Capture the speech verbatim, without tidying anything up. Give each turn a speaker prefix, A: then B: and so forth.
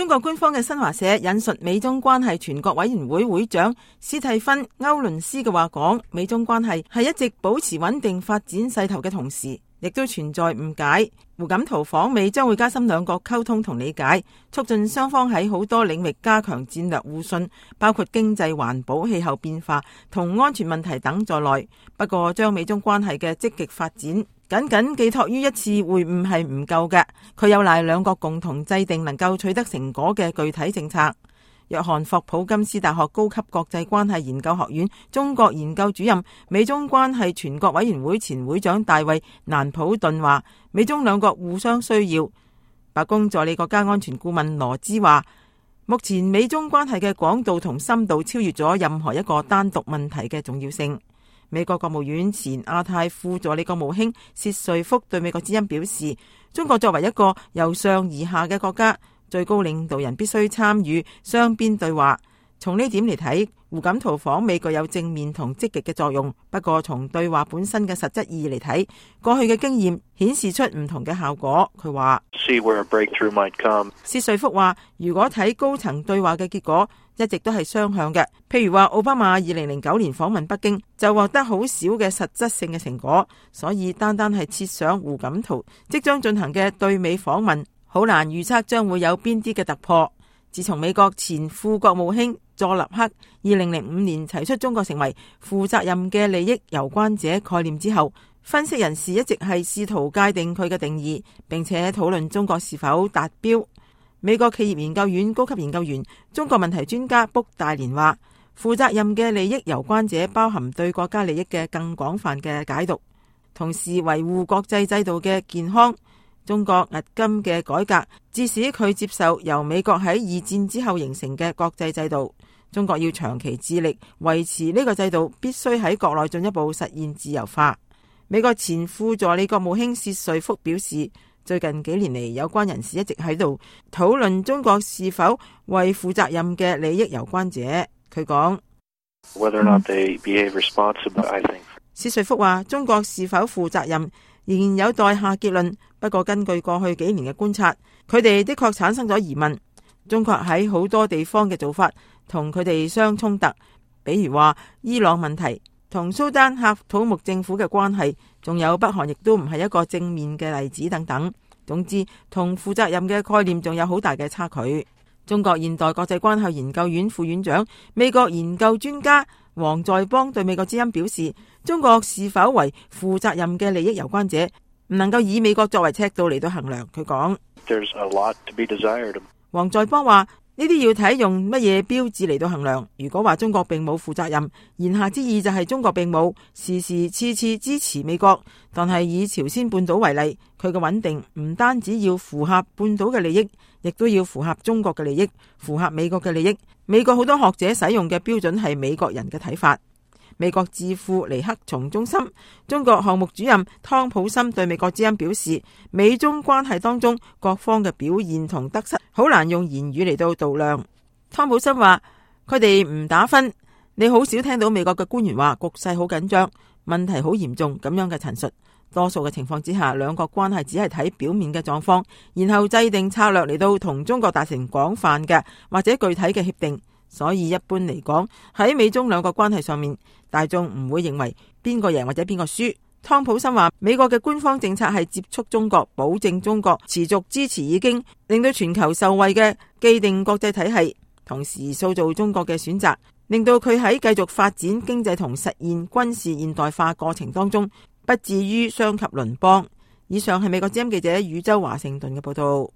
A: 中國官方嘅新華社引述美中關係全國委員會會長斯蒂芬·歐倫斯嘅話講，美中關係係一直保持穩定發展勢頭嘅同時，亦都存在誤解。胡錦濤訪美將會加深兩國溝通同理解，促進雙方喺好多領域加強戰略互信，包括經濟、環保、氣候變化同安全問題等在內。不過，將美中關係嘅積極發展僅僅寄託於一次會晤係唔夠嘅，佢有賴兩國共同制定能夠取得成果嘅具體政策。約翰霍普金斯大學高級國際關係研究學院中國研究主任、美中關係全國委員會前會長大衛蘭普頓話，美中兩國互相需要。白宮助理國家安全顧問羅茲話，目前美中關係嘅廣度同深度超越咗任何一個單獨問題嘅重要性。美國國務院前亞太副助理國務卿薛瑞福對美國之音表示，中國作為一個由上而下嘅國家，最高領導人必須參與雙邊對話。從呢點嚟睇，胡錦濤訪美具有正面同積極嘅作用。不過從對話本身嘅實質意義嚟睇，過去嘅經驗顯示出唔同嘅效果。佢話，薛瑞福話，如果睇高層對話嘅結果，一直都係雙向嘅。譬如話，奧巴馬二零零九年訪問北京就獲得好少嘅實質性嘅成果，所以單單係設想胡錦濤即將進行嘅對美訪問，好難預測將會有邊啲嘅突破。自從美國前副國務卿佐立克二零零五年提出中國成為負責任嘅利益攸關者概念之後，分析人士一直係試圖界定佢嘅定義，並且討論中國是否達標。美國企業研究院高級研究員、中國問題專家卜大連話，負責任嘅利益攸關者包含對國家利益嘅更廣泛嘅解讀，同時維護國際制度嘅健康。中國迄今嘅改革，致使佢接受由美國喺二戰之後形成嘅國際制度。中國要長期致力維持呢個制度，必須喺國內進一步實現自由化。美國前副助理國務卿薛瑞福表示，最近幾年嚟，有關人士一直喺度討論中國是否為負責任嘅利益攸關者。佢講，薛瑞福話，中國是否負責任仍然有待下結論。不過根據過去幾年嘅觀察，佢哋的確產生咗疑問。中國喺好多地方嘅做法同佢哋相衝突，比如話伊朗問題同蘇丹喀土穆政府嘅關係，仲有北韓亦都唔係一個正面嘅例子等等。總之，同負責任嘅概念仲有好大嘅差距。中國現代國際關係研究院副院長、美國研究專家王在邦對美國之音表示，中國是否為負責任嘅利益攸關者，唔能夠以美國作為尺度嚟到衡量。佢講，王在邦話，呢啲要睇用乜嘢標誌嚟到衡量。如果話中國並冇負責任，言下之意就係中國並冇時時次次支持美國。但係以朝鮮半島為例，佢嘅穩定唔單止要符合半島嘅利益，亦都要符合中國嘅利益，符合美國嘅利益。美國好多學者使用嘅標準係美國人嘅睇法。美國智庫尼克松中心中國項目主任湯普森對美國之音表示，美中關係當中各方嘅表現同得失好難用言語嚟到度量。湯普森話，佢哋唔打分，你好少聽到美國嘅官員話局勢好緊張，問題好嚴重咁樣嘅陳述。多數嘅情況之下，兩國關係只係睇表面嘅狀況，然後制定策略嚟到同中國達成廣泛嘅或者具體嘅協定。所以一般嚟講，喺美中兩國關係上面，大眾唔會認為邊個贏或者邊個輸。湯普森話，美國嘅官方政策係接觸中國，保證中國持續支持已經令到全球受惠嘅既定國際體系，同時塑造中國嘅選擇，令到佢喺繼續發展經濟同實現軍事現代化過程當中，不至於傷及鄰邦。以上係美國之音記者宇宙華盛頓嘅報道。